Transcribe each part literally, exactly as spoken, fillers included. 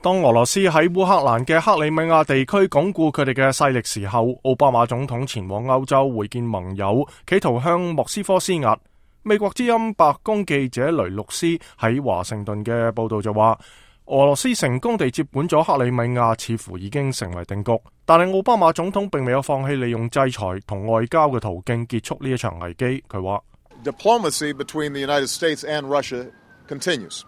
當俄羅斯喺烏克蘭嘅克里米亞地區鞏固佢哋嘅勢力時候，奧巴馬總統前往歐洲會見盟友，企圖向莫斯科施壓。美國之音白宮記者雷洛斯喺華盛頓嘅報道就話，俄羅斯成功地接管咗克里米亞，似乎已經成為定局。但係奧巴馬總統並未有放棄利用制裁同外交嘅途徑結束呢一場危機。佢話 Diplomacy between the United States and Russia continues.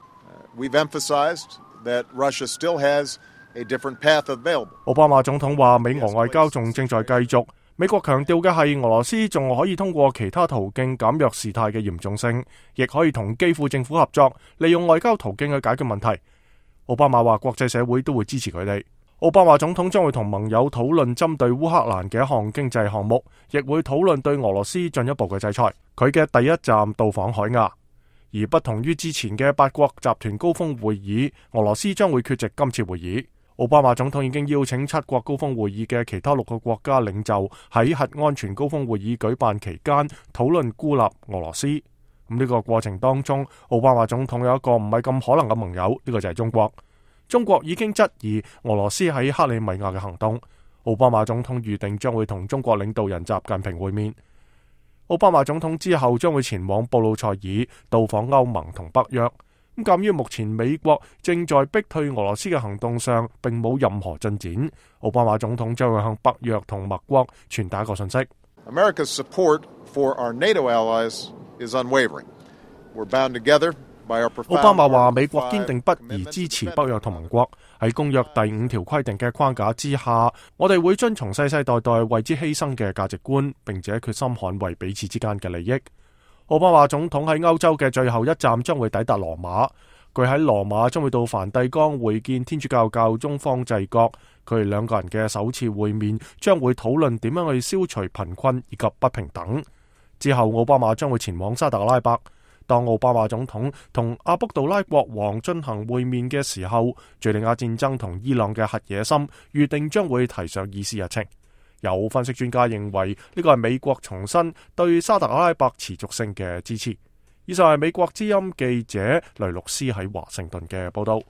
We've emphasized that Russia still has a different path available. 奧巴馬總統話，美俄外交仲正在繼續。美國強調嘅係，俄羅斯仲可以通過其他途徑減弱事態嘅嚴重性，亦可以同基輔政府合作，利用外交途徑去解決問題。奧巴馬話，國際社會都會支持佢哋。奧巴馬總統將會同盟友討論針對烏克蘭嘅一項經濟項目，亦會討論對俄羅斯進一步嘅制裁。佢嘅第一站到訪海牙。而不同於之前嘅八國集團高峰會議，俄羅斯將會缺席今次會議。奧巴馬總統已經邀請七國高峰會議嘅其他六個國家領袖喺核安全高峰會議舉辦期間討論孤立俄羅斯。咁呢個過程當中，奧巴馬總統有一個唔係咁可能嘅盟友，呢、這個就係中國。中國已經質疑俄羅斯喺克里米亞嘅行動。奧巴馬總統預定將會同中國領導人習近平會面。奧巴馬總統之後將會前往布魯塞爾到訪歐盟同北約。咁鑒於目前美國正在逼退俄羅斯嘅行動上並冇任何進展，奧巴馬總統將會向北約同盟國傳達一個信息。America's support for our NATO allies is unwavering. We're bound together by our profound... 奧巴馬話，美國堅定不移支持北約同盟國，喺公約第五條規定嘅框架之下，我哋會遵從世世代代為之犧牲嘅價值觀，並且決心捍衛彼此之間嘅利益。奧巴馬總統喺歐洲嘅最後一站將會抵達羅馬，佢喺羅馬將會到梵蒂岡會見天主教教宗方濟各，佢哋兩個人嘅首次會面將會討論點樣去消除貧困以及不平等。之後奧巴馬將會前往沙特阿拉伯，當奧巴馬總統同阿卜杜拉國王進行會面嘅時候，敘利亞戰爭同伊朗嘅核野心預定將會提上議事日程。有分析專家認為呢個係美國重申對沙特阿拉伯持續性嘅支持。以上係美國之音記者雷洛斯喺華盛頓嘅報道。